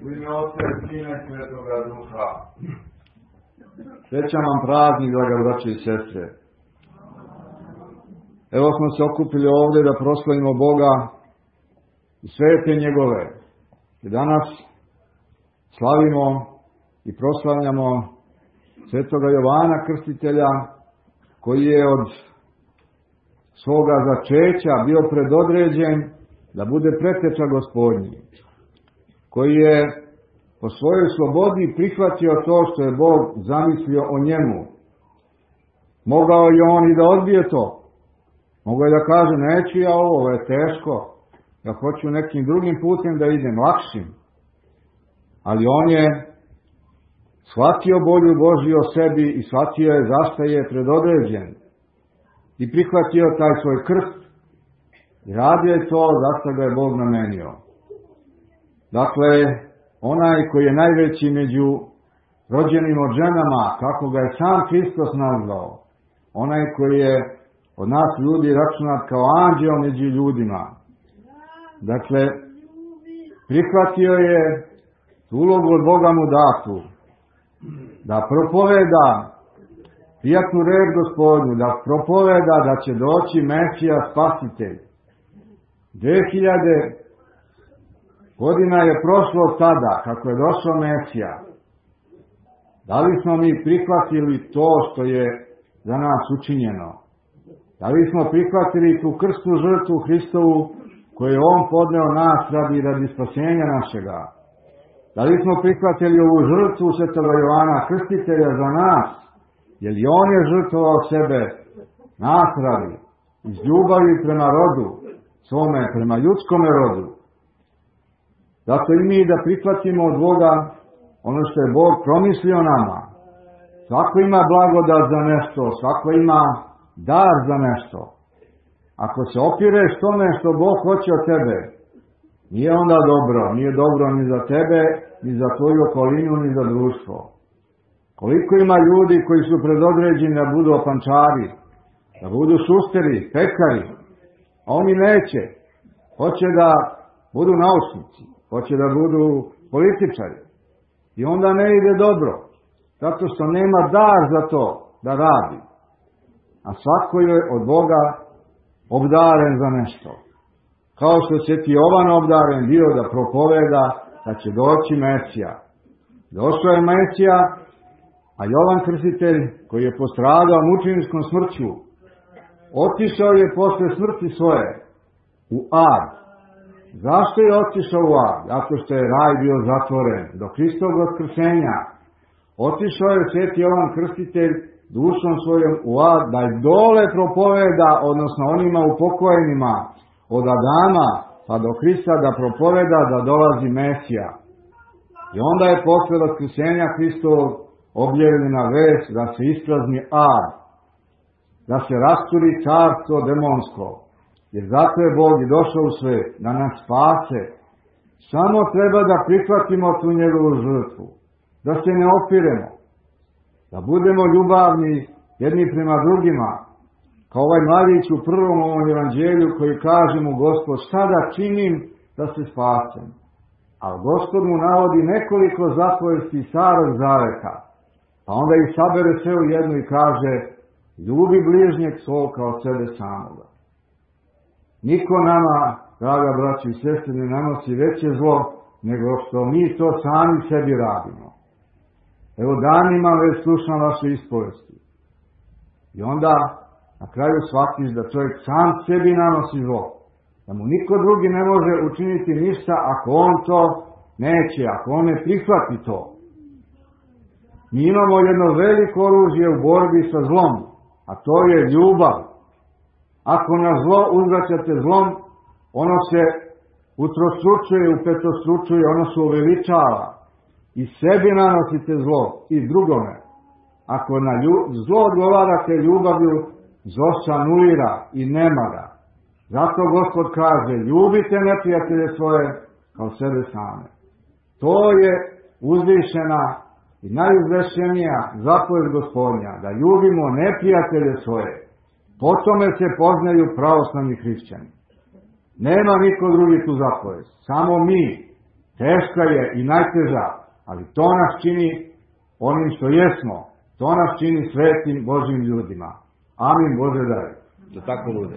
U ime Oca i Sina i Svetoga Duha. Srećan vam praznik, draga braće i sestre. Evo smo se okupili ovdje da proslavimo Boga i svete njegove. I danas slavimo i proslavljamo svetoga Jovana Krstitelja, koji je od svoga začeća bio predodređen da bude preteča Gospodnji, koji je po svojoj slobodi prihvatio to što je Bog zamislio o njemu. Mogao je on i da odbije to. Mogao je da kaže, neću ja ovo je teško, ja hoću nekim drugim putem da idem, lakšim. Ali on je shvatio volju Božju o sebi i shvatio je zašto je predodređen. I prihvatio taj svoj krst i radio je to zašto ga je Bog namenio. Dakle, onaj koji je najveći među rođenim od ženama, kako ga je sam Hristos nazvao, onaj koji je od nas ljudi računat kao anđeo među ljudima. Dakle, prihvatio je ulogu od Boga mu datu, da propoveda prijatnu reč Gospodnju, da propoveda da će doći Mesija Spasitelj. 2000 godina je prošlo od tada kako je došao Mesija. Da li smo mi prihvatili to što je za nas učinjeno? Da li smo prihvatili tu krstnu žrtvu Hristovu koju je on podneo nas radi spasenja našega? Da li smo prihvatili ovu žrtvu svetoga Jovana Krstitelja za nas? Jer i on je žrtvovao sebe nas radi, iz ljubavi prema rodu svome, prema ljudskome rodu. Zato i mi da prihvatimo od Boga ono što je Bog promislio nama. Svako ima blagodat za nešto, svako ima dar za nešto. Ako se opireš tome što Bog hoće od tebe, nije onda dobro. Nije dobro ni za tebe, ni za tvoju okolinu, ni za društvo. Koliko ima ljudi koji su predodređeni da budu opančari, da budu šusteri, pekari, a oni neće. Hoće da budu naučnici, hoće da budu političari. I onda ne ide dobro, zato što nema dar za to da radi. A svako je od Boga obdaren za nešto. Kao što se ti Jovan obdaren bio da propoveda da će doći Mesija. Došao je Mesija, a Jovan Krstitelj, koji je postradao mučenickom smrću, otišao je posle smrti svoje u ad. Zašto je otišao u ad? Zato što je raj bio zatvoren do Hristovog vaskrsenja. Otišao je sveti Jovan Krstitelj dušom svojom u ad da je dole propoveda, odnosno onima upokojenima od Adama pa do Hrista da propoveda da dolazi Mesija. I onda je posle vaskrsenja Hristovog objavljena vest da se isprazni ad, da se rasturi carstvo demonsko. Jer zato je Bog i došao u svet, da nas spase. Samo treba da prihvatimo tu njegovu žrtvu, da se ne opiremo, da budemo ljubavni jedni prema drugima, kao ovaj mladić u prvom ovom evanđelju koji kaže mu Gospod, šta da činim da se spasem? A Gospod mu navodi nekoliko zapovesti starog zaveta, pa onda ih sabere sve u jednu i kaže, ljubi bližnjeg svog kao sebe samoga. Niko nama, draga braći i sestre, ne nanosi veće zlo nego što mi to sami sebi radimo. Evo danima već slušam vaše ispovesti. I onda na kraju shvatiš da čovjek sam sebi nanosi zlo. Da mu niko drugi ne može učiniti ništa ako on to neće, ako on ne prihvati to. Mi imamo jedno veliko oružje u borbi sa zlom, a to je ljubav. Ako na zlo uzvraćate zlom, ono se utrostručuje, upetostručuje, ono se uveličava. I sebi nanosite zlo i drugome. Ako na zlo odgovarate ljubavlju, zlo se anulira i nema ga. Zato Gospod kaže, ljubite neprijatelje svoje kao sebe same. To je uzvišena i najuzvišenija zapoved Gospodnja, da ljubimo neprijatelje svoje. Po tome se poznaju pravoslavni hrišćani. Nema niko drugi tu zapovest, samo mi. Teška je i najteža, ali to nas čini onim što jesmo. To nas čini svetim Božjim ljudima. Amin, Bože daj. Da tako bude.